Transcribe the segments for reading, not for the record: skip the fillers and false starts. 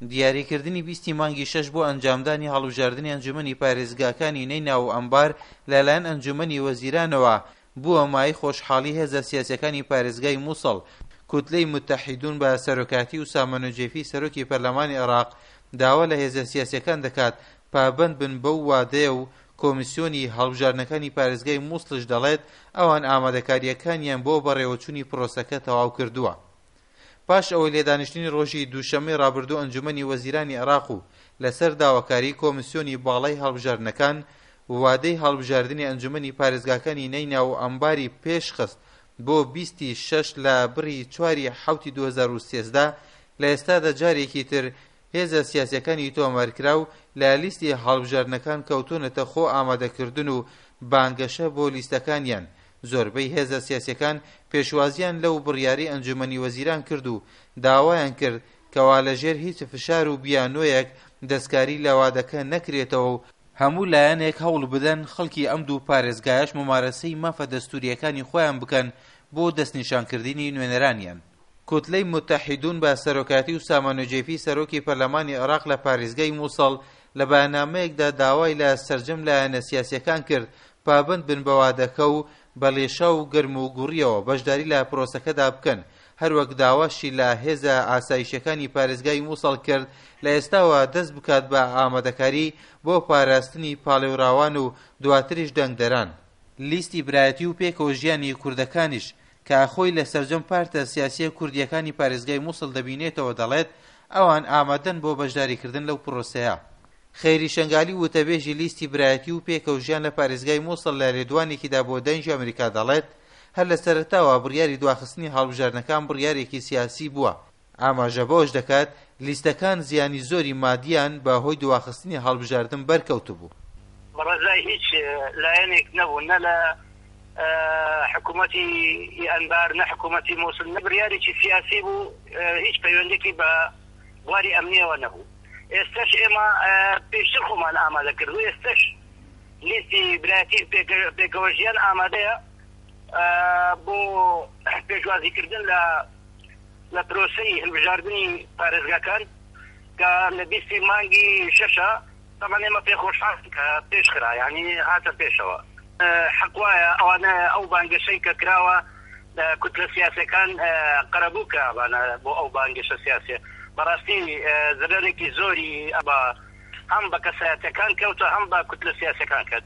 دیاریکردنی بیستی مانگی شەش بۆ ئەنجامدانی هەڵبژاردنی ئەنجومەنی پارێزگاکانی نەیناو و ئەنبار لەلایەن ئەنجومەنی وەزیرانەوە بووە مایەی خۆشحاڵی هێزە سیاسیەکانی پارێزگای موسڵ. کوتلەی متەحیدون بە سەرۆکایەتی ئوسامە نوجەیفی سەرۆکی پەرلەمانی عێراق داوا لە هێزە سیاسیەکان دەکات پابەند بن بەو وادەیە و کۆمیسیۆنی هەڵبژاردنەکانی پارێزگای موسڵیش دەڵێت ئەوان ئامادەکارییەکانیان بۆ بەڕێوەچوونی پرۆسەکە تەواو کردووە. پاش ئەوەی لە دانیشتنی ڕۆژی دووشەممەی ڕابردوو ئەنجومەنی وەزیرانی عێراق و لەسەر داواکاریی کۆمیسیۆنی باڵای هەڵبژاردنەکان وادەی هەڵبژاردنی ئەنجومەنی پارێزگاکانی نەیناو و ئەنباری پێشخست بۆ 20 ی شەش لە بڕی چواری حەوتی 2013 لە ئێستادا جارێکی تر هێزە سیاسیەکانی تۆمارکراو لە لیستی هەڵبژاردنەکان کەوتوونەتە خۆ ئامادەکردن و بانگەشە بۆ لیستەکانیان، زۆربەی هێزە سیاسیەکان پێشوازیان لەو بڕیارەی ئەنجومەنی وەزیران کرد و داوایان کرد کەوا لە ژێر هیچ فشار و بیانۆیەک دەستکاری لە وادەکە نەکرێتەوە و هەموو لایەنێک هەوڵ بدەن خەڵکی ئەم دوو پارێزگایەش مومارەسەی مافە دەستوریەکانی خۆیان بکەن بۆ دەستنیشانکردنی نوێنەرانیان. کوتلەی موتەحیدون بە سەرۆکایەتی ئوسامە نوجەیفی سەرۆکی پەرلەمانی عێراق لە پارێزگای موسڵ لە بەیاننامەیەکدا داوای لە سەرجەم لایەنە سیاسیەکان کرد پابەند بن بە وادەکە و بە لێشاو و گەرم و گوڕیەوە بەشداری لە پرۆسەکەدا بکەن هەروەک داواشی لە هێزە ئاسایشیەکانی پارێزگای موسڵ کرد لە ئێستاوە دەست بکات بە ئامادەکاری بۆ پاراستنی پاڵێوراوان و دواتریش دەنگدەران. لیستی برایەتی و پێکەوە ژیانی کوردەکانیش کە خۆی لە سەرجەم پارتە سیاسییە کوردییەکانی پارێزگای موسڵ دەبینێتەوە دەڵێت، ئەوان ئامادەن بۆ بەشداریکردن لەو پرۆسەیە. خەیری شەنگالی وتەبێژی لیستی برایەتی و پێکەوە ژیان لە پارێزگای موسڵ لە لێدوانێکیدا بۆ دەنگی ئەمریکا دەڵێت، هەر لە سەرەتاوە بڕیاری دواخستنی هەڵبژاردنەکان بڕیارێکی سیاسی بووە، ئاماژە بەوەش دەکات، لیستەکان زیانی زۆری مادییان بە هۆی دواخستنی هەڵبژاردن بەرکەوتبوو. بە ڕەزای هیچ لایەنێک نەبوو، نە لە حکوومەتی ئەنبار، نە حکوومەتی مووسڵ، نە بڕیارێکی سیاسی بوو، هیچ پەیوەندییەکی بە بواری ئەمنییەوە نەبوو. ئێستەش ئێمە پێشتر خۆمان ئامادە کردبوو، ئێستەش لیستی برایەتی پێکەوەژیان ئامادەیە بۆ پێشوازیکردن لە لە پرۆسەی هەلبژاردنی پارێزگاکان کە لە بیستی مانگی شەشە تەبعەن ئێمە پێ خۆشحاڵین کە پێش خرا یانی هاتە پێشەوە. حەق وایە ئەوانە ئەو بانگەشەی کە کراوە کوتلە سیاسیەکان قەرەبوو کرابانە بۆ ئەو بانگەشە سیاسیە بەڕاستی زەرەرێکی زۆری بە هەم بە کەسایەتەکان کەوتە هەم بە کوتلە سیاسیەکان کەت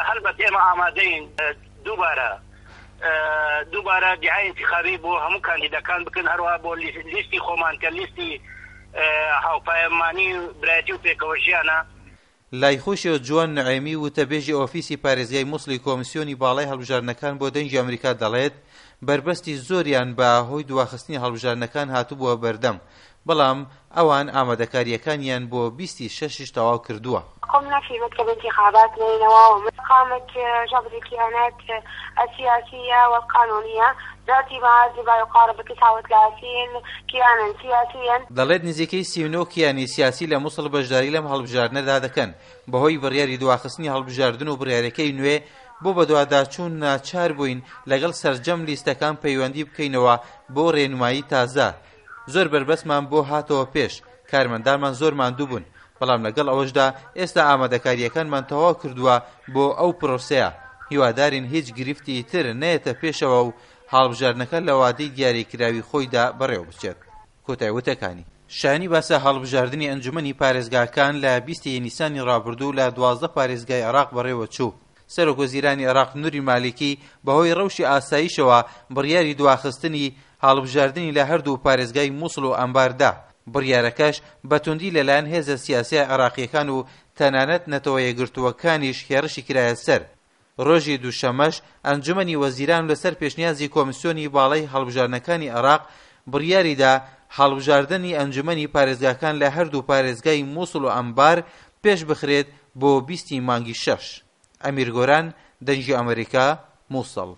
هەلبەت ئێمە ئامادەین دووبارە دووبارە دیعای ئینتیخابی بۆ هەموو کاندیدەکان بکەن، هەروەها بۆ لیستی خۆمان کە لیستی هاوپایەمانی و برایەتی و پێکەوەژیانە. لای خۆیشەوە جوان نعێمی وتەبێژی ئۆفیسی پارێزگای موسڵی کۆمسیۆنی باڵای هەڵبژاردنەکان بۆ دەنگی ئەمریکا دەڵێت بەربەستی زۆریان بە هۆی دواخستنی هەڵبژاردنەکان هاتبووە بەردەم بەڵام ئەوان ئامادەکارییەکانیان بۆ 20 ی شەشیش تەواو کردووە. قمنا في مكتب انتخابات نينوى وقامت جبر الكيانات السياسية والقانونية باعتماد بما يقارب 39 كيانا سياسيا. دەڵێت نزیکەی 39 کیانی سیاسی لە موسڵ بەشداری لەم هەڵبژاردنەدا دەکەن، بەهۆی بڕیاری دواخستنی هەڵبژاردن و بڕیارەکەی نوێ بۆ بەدواداچوون ناچار بووین لەگەڵ سەرجەم لیستەکان پەیوەندی بکەینەوە بۆ رێنمایی تازە، زۆر بەربەستمان بۆ هاتەوە پێش، کارمەندانمان زۆر ماندوو بوون، بەڵام لەگەڵ ئەوەشدا ئێستا ئامادەکارییەکانمان تەواو کردووە بۆ ئەو پرۆسەیە، هیوادارین هیچ گرفتی تر نەیەتە پێشەوە و هەڵبژاردنەکە لە وادەی دیاریکراوی خۆیدا بەڕێوەبچێت. کۆتای وتەکانی. شایانی باسە هەڵبژاردنی ئەنجومەنی پارێزگاکان لە 20 ی نیسانی ڕابردوو لە 12 پارێزگای عێراق بەڕێوەچوو. سەرۆک وەزیرانی عێراق نوری مالیکی بەهۆی ڕەوشی ئاسایشەوە بڕیاری دواخستنی هەڵبژاردنی لە هەردوو پارێزگای موسڵ و ئەنبار دا، بڕیارەکەش بە توندی لەلایەن هێزە سیاسییە عێراقییەکان و تەنانەت نەتەوە یەکگرتووەکانیش هێڕشی کرایە سەر. ڕۆژی دووشەممەش ئەنجومەنی وەزیران لەسەر پێشنیازی کۆمیسیۆنی باڵای هەڵبژاردنەکانی عێراق بڕیاریدا هەڵبژاردنی ئەنجومەنی پارێزگاکان لە هەردوو پارێزگای موسڵ و ئەنبار پێشبخرێت بۆ 20 ی مانگی شەش. ئەمیر گۆران، دەنگی ئەمەریکا، موسڵ.